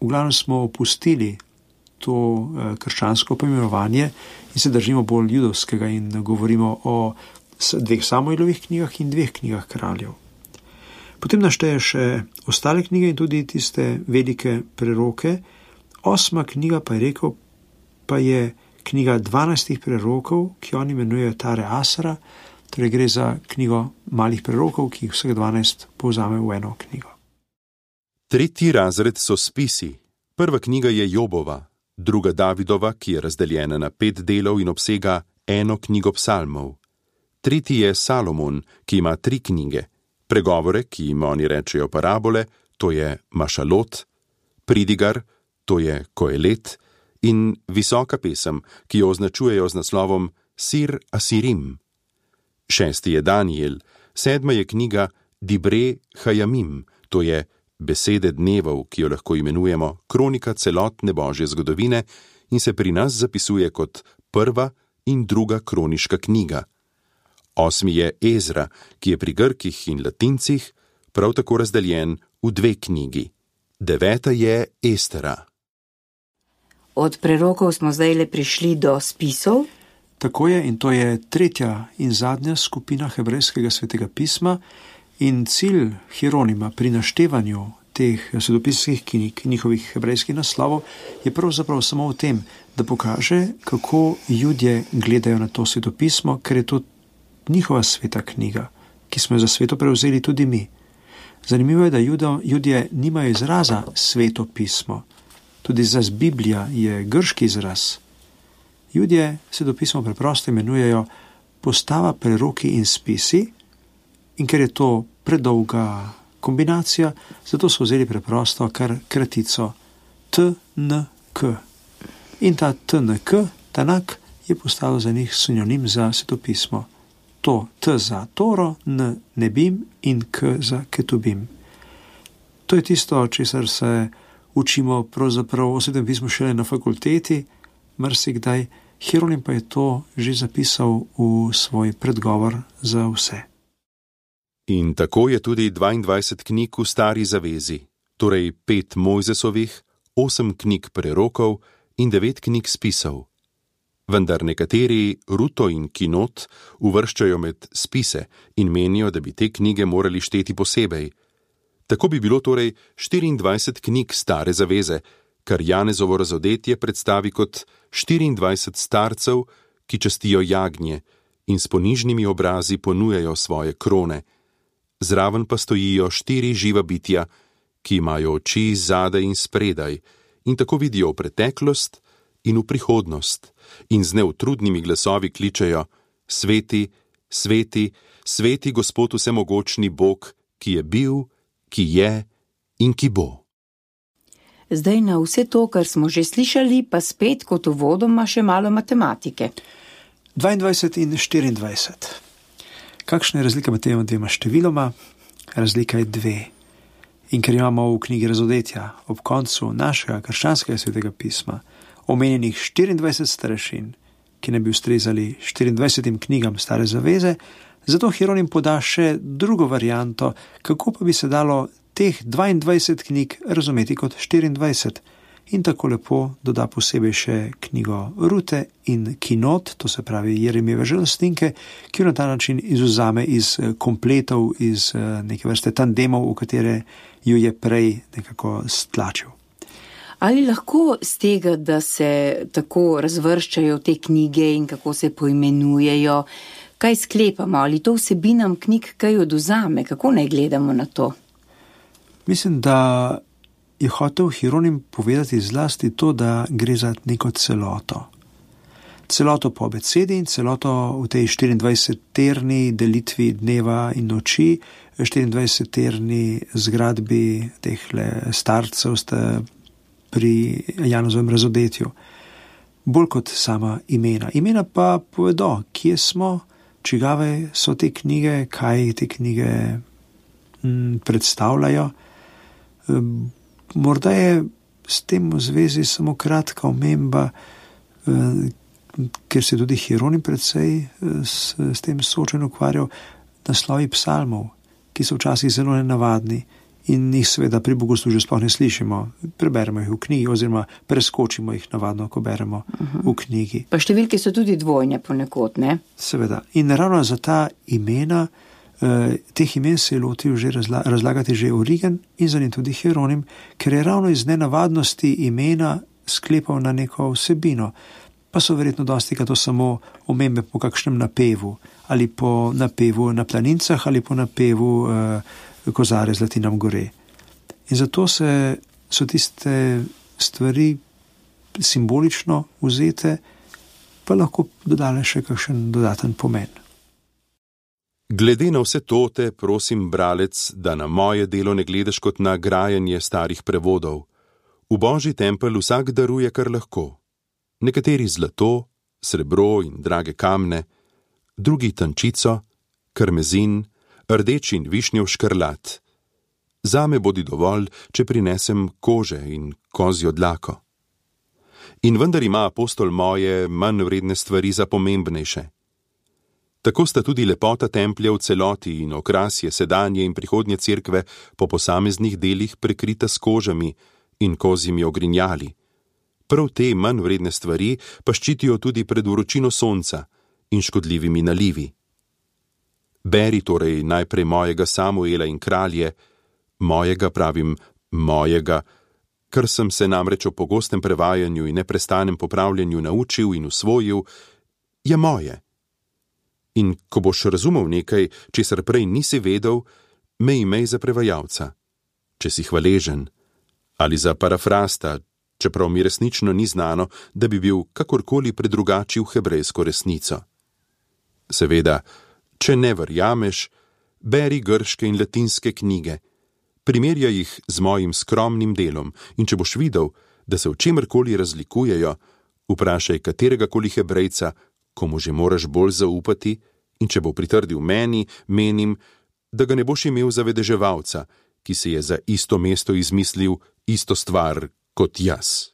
v glavnem smo opustili to uh, krščansko poimenovanje in se držimo bolj judovskega in govorimo o dveh Samuelovih knjigah in dveh knjigah kraljev. Potem našteje še ostale knjige in tudi tiste velike preroke. Osma knjiga pa je rekel, pa je knjiga dvanajstih prerokov, ki oni imenujejo Tare Asra, torej gre za knjigo malih prerokov, ki jih vseh dvanajst povzame v eno knjigo. Tretji razred so spisi. Prva knjiga je Jobova, druga Davidova, ki je razdeljena na pet delov in obsega eno knjigo psalmov. Tretji je Salomon, ki ima tri knjige. Pregovore, ki jim oni rečejo parabole, to je Mašalot, Pridigar, to je Koelet, in visoka pesem, ki jo označujejo z naslovom Sir Asirim. Šesti je Daniel, sedma je knjiga Dibre Hajamim, to je Besede dnevov, ki jo lahko imenujemo kronika celotne Božje zgodovine in se pri nas zapisuje kot prva in druga kroniška knjiga. Osmi je Ezra, ki je pri Grkih in Latincih prav tako razdeljen v dve knjigi. Deveta je Estera. Od prerokov smo zdaj le prišli do spisov. Tako je, in to je tretja in zadnja skupina hebrejskega svetega pisma in cilj Hieronima pri naštevanju teh svetopisnih knjig, njihovih hebrejskih naslovov, je pravzaprav samo v tem, da pokaže, kako Judje gledajo na to svetopismo, ker je to njihova sveta knjiga, ki smo jo za sveto prevzeli tudi mi. Zanimivo je, da Judo, Judje nimajo izraza sveto pismo. Tudi za Biblija je grški izraz. Judje svetopismo preprosto imenujejo postava, preroki in spisi, in ker je to predolga kombinacija, zato so vzeli preprosto kar kratico T N K. In ta T N K, Tanak, je postal za njih sinonim za svetopismo. To T za Toro, N Nebim in K za Ketubim. To je tisto, česar se učimo pravzaprav o svetem pismu šele na fakulteti, marsikdaj. Hieronim pa je to že zapisal v svoj predgovor za vse. In tako je tudi dvaindvajset knjig v Stari zavezi, torej pet Mojzesovih, osem knjig prerokov in devet knjig spisov. Vendar nekateri Ruto in Kinot uvrščajo med spise in menijo, da bi te knjige morali šteti posebej. Tako bi bilo torej štiriindvajset knjig Stare zaveze, kar Janezovo razodetje predstavi kot štiriindvajset starcev, ki častijo jagnje in s ponižnimi obrazi ponujajo svoje krone. Zraven pa stojijo štiri živa bitja, ki imajo oči zadaj in spredaj in tako vidijo v preteklost in v prihodnost in z neutrudnimi glasovi kličejo: Sveti, sveti, sveti Gospod vsemogočni Bog, ki je bil, ki je in ki bo. Zdaj na vse to, kar smo že slišali, pa spet kot uvodoma še malo matematike. dvaindvajset in štiriindvajset. Kakšna je razlika med tema dvema številoma? Razlika je dve. In ker imamo v knjigi Razodetja ob koncu našega krščanskega svetega pisma omenjenih štiriindvajset starešin, ki ne bi ustrezali štiriindvajsetim knjigam Stare zaveze, zato Hieronim poda še drugo varianto, kako pa bi se dalo teh dvaindvajset knjig razumeti kot štiriindvajset. in tako lepo doda posebej še knjigo Rute in Kinot, to se pravi Jeremijeve žalostninke, ki jo na ta način izvzame iz kompletov, iz neke vrste tandemov, v katere jo je prej nekako stlačil. Ali lahko z tega, da se tako razvrščajo te knjige in kako se poimenujejo, kaj sklepamo, ali to vsebinam knjig kaj odvzame, kako naj gledamo na to? Mislim, da je hotel Hieronim povedati zlasti to, da gre za neko celoto. Celoto po abecedi in celoto v tej štiriindvajsetterni delitvi dneva in noči, štiriindvajsetterni zgradbi teh starcev pri Janozovem razodetju. Bolj kot sama imena. Imena pa povedo, kje smo, čigave so te knjige, kaj te knjige m, predstavljajo. E, morda je s tem v zvezi samo kratka omemba, e, ker se tudi Hieronim precej s, s tem soočen ukvarjal, naslovi psalmov, ki so včasih zelo nenavadni in jih seveda pri bogoslužju sploh ne slišimo. Preberemo jih v knjigi oziroma preskočimo jih navadno, ko beremo uh-huh. v knjigi. Pa številke so tudi dvojne ponekod, ne? Seveda. In ravno za ta imena, eh, teh imen se je lotil že razla- razlagati že Origen in za njim tudi Hieronim, ker je ravno iz nenavadnosti imena sklepal na neko vsebino. Pa so verjetno dosti to samo omembe po kakšnem napevu, ali po napevu na planincah, ali po napevu eh, kozare zlati nam gore. In zato se, so tiste stvari simbolično vzete, pa lahko dodale še kakšen dodaten pomen. Glede na vse to te prosim, bralec, da na moje delo ne gledaš kot na grajanje starih prevodov. V Božji tempelj vsak daruje, kar lahko. Nekateri zlato, srebro in drage kamne, drugi tančico, karmezin, rdeč in višnjev škrlat. Zame bodi dovolj, če prinesem kože in kozjo dlako. In vendar ima apostol moje manj vredne stvari za pomembnejše. Tako sta tudi lepota templja v celoti in okrasje sedanje in prihodnje cerkve po posameznih delih prekrita s kožami in kozjimi ogrinjali. Prav te manj vredne stvari pa ščitijo tudi pred vročino sonca in škodljivimi nalivi. Beri torej najprej mojega Samuela in kralje, mojega pravim mojega, kar sem se namreč o pogostem prevajanju in neprestanem popravljanju naučil in usvojil, je moje. In ko boš razumel nekaj, česar prej nisi vedel, me imej za prevajalca, če si hvaležen, ali za parafrasta, čeprav mi resnično ni znano, da bi bil kakorkoli predrugačil hebrejsko resnico. Seveda, če ne verjameš, beri grške in latinske knjige, primerjaj jih z mojim skromnim delom in če boš videl, da se v čemerkoli razlikujejo, vprašaj kateregakoli hebrejca, komu že moraš bolj zaupati, in če bo pritrdil meni, menim, da ga ne boš imel za vedeževalca, ki si je za isto mesto izmislil isto stvar kot jaz.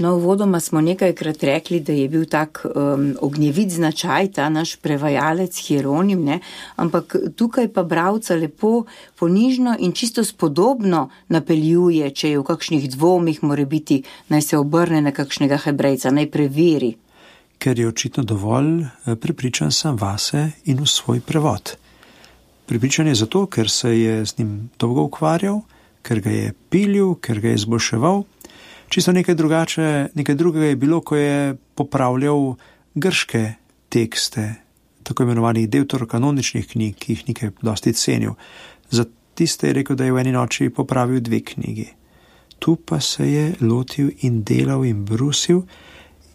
No, uvodoma smo nekajkrat rekli, da je bil tak um, ognjevit značaj, ta naš prevajalec Hieronim, ne? Ampak tukaj pa bralca lepo, ponižno in čisto spodobno napeljuje, če je v kakšnih dvomih more biti, naj se obrne na kakšnega hebrejca, naj preveri. Ker je očitno dovolj prepričan sam vase in v svoj prevod. Prepričan je zato, ker se je z njim dolgo ukvarjal, ker ga je pilil, ker ga je izboljševal. Čisto nekaj drugače, nekaj drugega je bilo, ko je popravljal grške tekste, tako imenovanih deuterokanoničnih knjig, ki jih nekaj dosti cenil. Za tiste je rekel, da je v eni noči popravil dve knjigi. Tu pa se je lotil in delal in brusil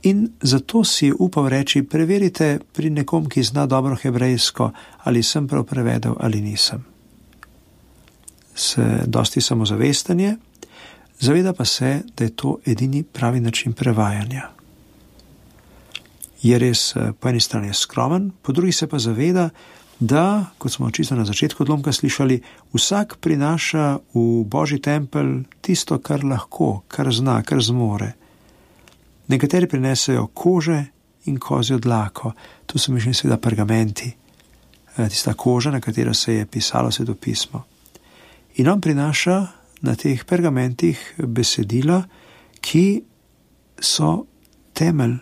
in zato si je upal reči, preverite pri nekom, ki zna dobro hebrejsko, ali sem prav prevedel ali nisem. Se dosti samozavestanje, zaveda pa se, da je to edini pravi način prevajanja. Je res po eni strani skromen, po drugi se pa zaveda, da, kot smo čisto na začetku odlomka slišali, vsak prinaša v Božji tempelj tisto, kar lahko, kar zna, kar zmore. Nekateri prinesejo kože in kozjo dlako, tu so mišljeni seveda pergamenti, tista koža, na katero se je pisalo svetopismo. In on prinaša na teh pergamentih besedila, ki so temelj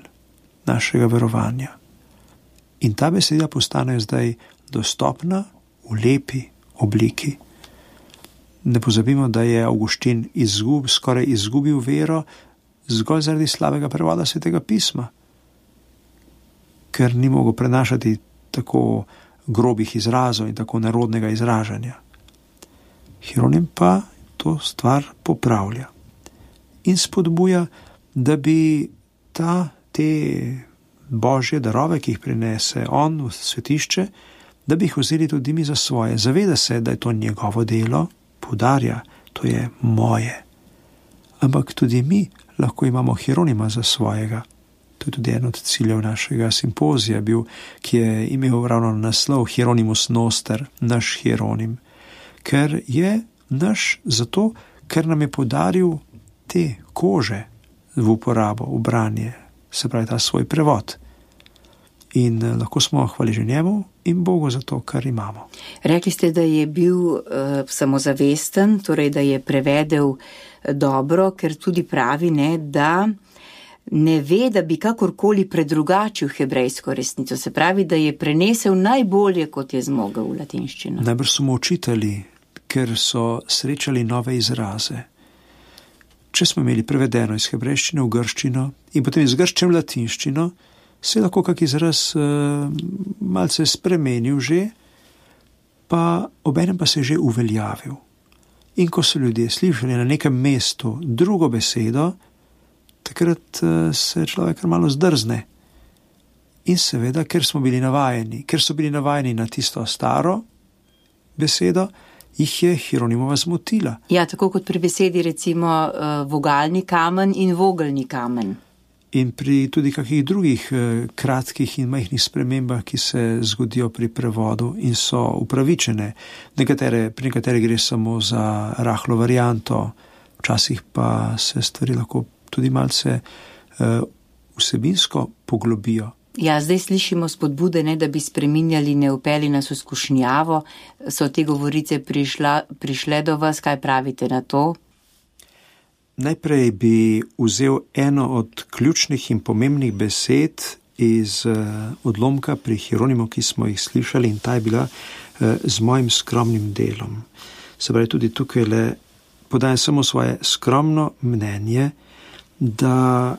našega verovanja. In ta besedila postanejo zdaj dostopna v lepi obliki. Ne pozabimo, da je Avguštin izgub, skoraj izgubil vero zgolj zaradi slabega prevoda Svetega pisma, ker ni mogel prenašati tako grobih izrazov in tako narodnega izražanja. Hieronim pa to stvar popravlja in spodbuja, da bi ta, te božje darove, ki jih prinese on v svetišče, da bi jih vzeli tudi mi za svoje. Zaveda se, da je to njegovo delo, poudarja, to je moje. Ampak tudi mi lahko imamo Hieronima za svojega. To je tudi en od ciljev našega simpozija bil, ki je imel ravno naslov Hieronymus Noster, naš Hieronim. Ker je naš zato, ker nam je podaril te kože v uporabo, v branje, se pravi ta svoj prevod. In lahko smo hvaležni njemu in Bogu za to, kar imamo. Rekli ste, da je bil uh, samozavesten, torej da je prevedel dobro, ker tudi pravi, ne, da ne ve, da bi kakorkoli predrugačil hebrejsko resnico. Se pravi, da je prenesel najbolje, kot je zmogel v latinščino. Najbrž so mu učitelji, ker so srečali nove izraze. Če smo imeli prevedeno iz hebrejščine v grščino in potem iz grščine v latinščino, se je lahko kak izraz uh, malce spremenil že, pa obenem pa se je že uveljavil. In ko so ljudje slišali na nekem mestu drugo besedo, takrat uh, se človek malo zdrzne. In seveda, ker smo bili navajeni, ker so bili navajeni na tisto staro besedo, jih je Hieronimova zmotila. Ja, tako kot pri besedi recimo uh, vogalni kamen in vogelni kamen. In pri tudi kakih drugih eh, kratkih in majhnih spremembah, ki se zgodijo pri prevodu in so upravičene. Nekatere, pri nekatere gre samo za rahlo varianto, včasih pa se stvari lahko tudi malce eh, vsebinsko poglobijo. Ja, zdaj slišimo spodbude, ne, da bi spreminjali, ne upeli nas v skušnjavo. So te govorice prišla, prišle do vas, kaj pravite na to? Najprej bi vzel eno od ključnih in pomembnih besed iz uh, odlomka pri Hieronimu, ki smo jih slišali, in ta je bila uh, z mojim skromnim delom. Se pravi, tudi tukaj le podajam samo svoje skromno mnenje, da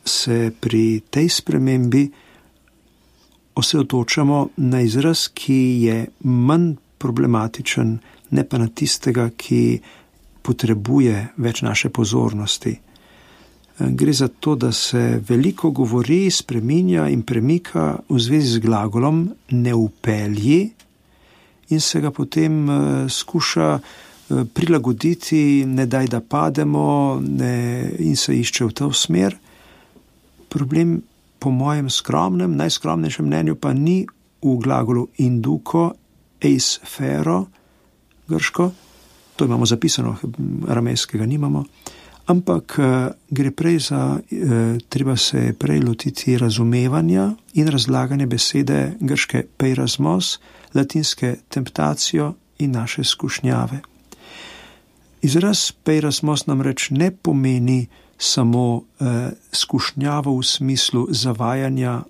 se pri tej spremembi osredotočamo na izraz, ki je manj problematičen, ne pa na tistega, ki potrebuje več naše pozornosti. Gre za to, da se veliko govori, spreminja in premika v zvezi z glagolom ne upelji in se ga potem skuša prilagoditi, ne daj da pademo, ne, in se išče v to smer. Problem po mojem skromnem, najskromnejšem mnenju pa ni v glagolu induko, eis fero, grško, to imamo zapisano, aramejskega nimamo, ampak gre prej za, treba se prej lotiti razumevanja in razlaganja besede grške peirasmos, latinske temptacijo in naše skušnjave. Izraz peirasmos namreč ne pomeni samo eh, skušnjavo v smislu zavajanja,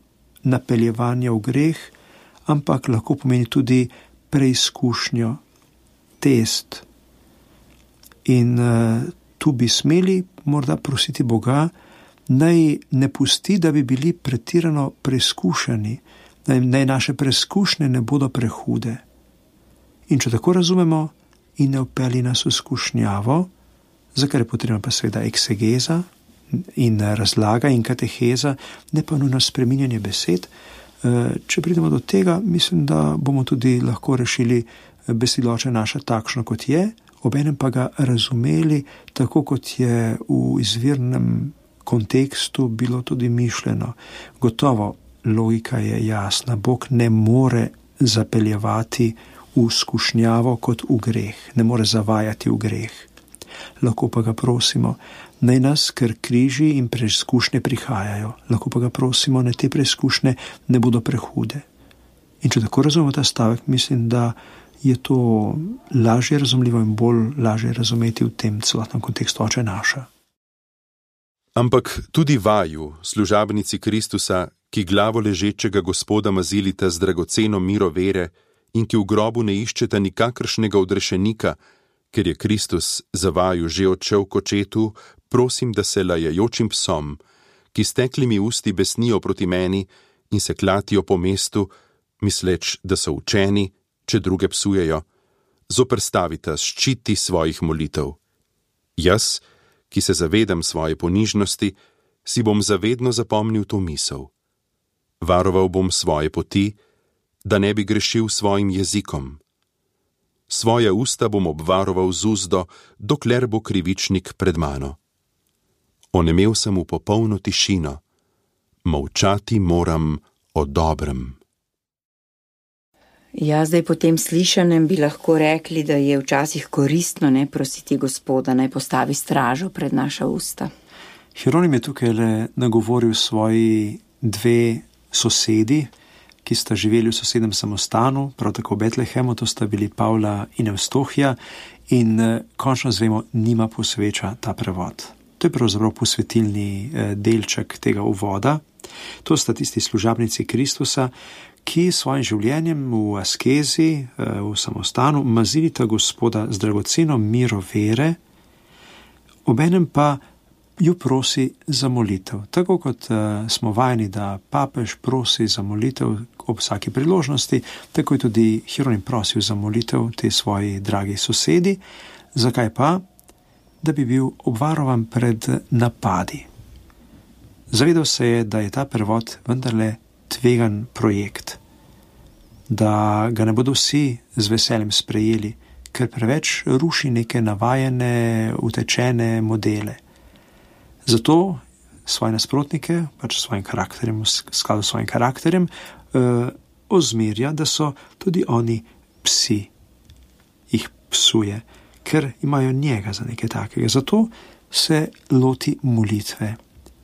napeljevanja v greh, ampak lahko pomeni tudi preizkušnjo, test. In uh, tu bi smeli morda prositi Boga, naj ne pusti, da bi bili pretirano preizkušeni, naj, naj naše preizkušnje ne bodo prehude. In če tako razumemo, in ne upeli nas v skušnjavo, za kar je potrebna pa seveda eksegeza in razlaga in kateheza, ne pa nujno spreminjanje besed. Uh, če pridemo do tega, mislim, da bomo tudi lahko rešili besediloče naša takšno, kot je, obenem pa ga razumeli tako, kot je v izvirnem kontekstu bilo tudi mišljeno. Gotovo, logika je jasna. Bog ne more zapeljevati v skušnjavo kot v greh, ne more zavajati v greh. Lahko pa ga prosimo, naj nas, ker križi in preizkušnje prihajajo, lahko pa ga prosimo, naj te preizkušnje ne bodo prehude. In če tako razumemo ta stavek, mislim, da je to lažje razumljivo in bolj lažje razumeti v tem celotnem kontekstu Oče naša. Ampak tudi vaju, služabnici Kristusa, ki glavo ležečega Gospoda mazilite z dragoceno miro vere in ki v grobu ne iščeta nikakršnega odrešenika, ker je Kristus za vaju že odšel k očetu, prosim, da se lajajočim psom, ki s teklimi usti besnijo proti meni in se klatijo po mestu, misleč, da so učeni, če druge psujejo, zoperstavita ščiti svojih molitev. Jaz, ki se zavedam svoje ponižnosti, si bom zavedno zapomnil to misel. Varoval bom svoje poti, da ne bi grešil svojim jezikom. Svoja usta bom obvaroval z uzdo, dokler bo krivičnik pred mano. Onemel sem v popolno tišino, molčati moram o dobrem. Ja, zdaj po tem slišanem bi lahko rekli, da je včasih koristno ne prositi Gospoda, naj postavi stražo pred naša usta. Hieronim je tukaj le nagovoril svoji dve sosedi, ki sta živeli v sosednem samostanu, prav tako v Betlehemu, to sta bili Pavla in Evstohija, in končno zvemo, njima posveča ta prevod. To je pravzaprav posvetilni delček tega uvoda. To sta tisti služabnici Kristusa, ki svojim življenjem v askezi, v samostanu, mazilita Gospoda z dragoceno miro vere, obenem pa ju prosi za molitev. Tako kot uh, smo vajeni, da papež prosi za molitev ob vsaki priložnosti, tako je tudi Hieronim prosil za molitev te svoji dragi sosedi. Zakaj pa? Da bi bil obvarovan pred napadi. Zavedal se je, da je ta prevod vendarle tvegan projekt, da ga ne bodo vsi z veseljem sprejeli, ker preveč ruši neke navajene, utečene modele. Zato svoje nasprotnike, pač svojim karakterjem, v skladu s svojim karakterjem, eh, ozmerja, da so tudi oni psi, jih psuje, ker imajo njega za nekaj takega. Zato se loti molitve.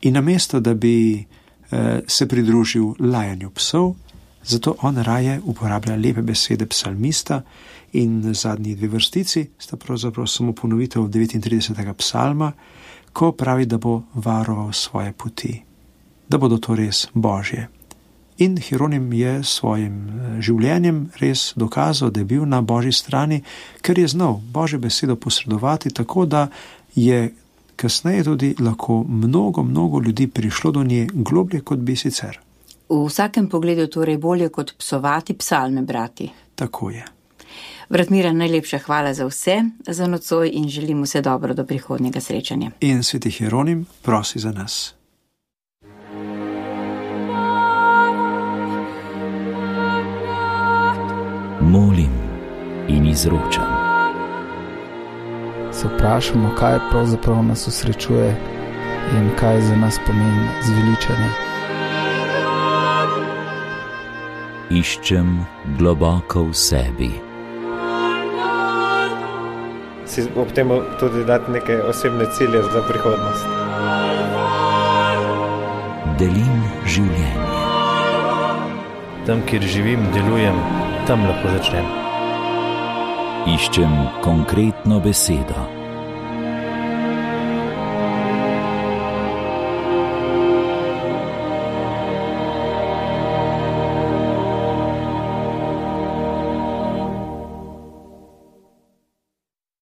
In namesto, da bi eh, se pridružil lajanju psov, zato on raje uporablja lepe besede psalmista in zadnji dve vrstici sta pravzaprav samo ponovitev devetintridesetega psalma, ko pravi, da bo varoval svoje poti, da bodo to res Božje. In Hieronim je svojim življenjem res dokazal, da je bil na Božji strani, ker je znal Božjo besedo posredovati tako, da je kasneje tudi lahko mnogo, mnogo ljudi prišlo do nje globlje, kot bi sicer. V vsakem pogledu torej bolje kot psovati, psalme brati. Tako je. Brat Miran, najlepša hvala za vse, za nocoj in želim vse dobro do prihodnjega srečanja. In sveti Hieronim prosi za nas. Molim in izročam. Se vprašamo, kaj pravzaprav nas osrečuje in kaj za nas pomeni zveličanje. Iščem globoko v sebi. Si ob tem tudi dati neke osebne cilje za prihodnost. Delim življenje. Tam, kjer živim, delujem, tam lahko začnem. Iščem konkretno besedo.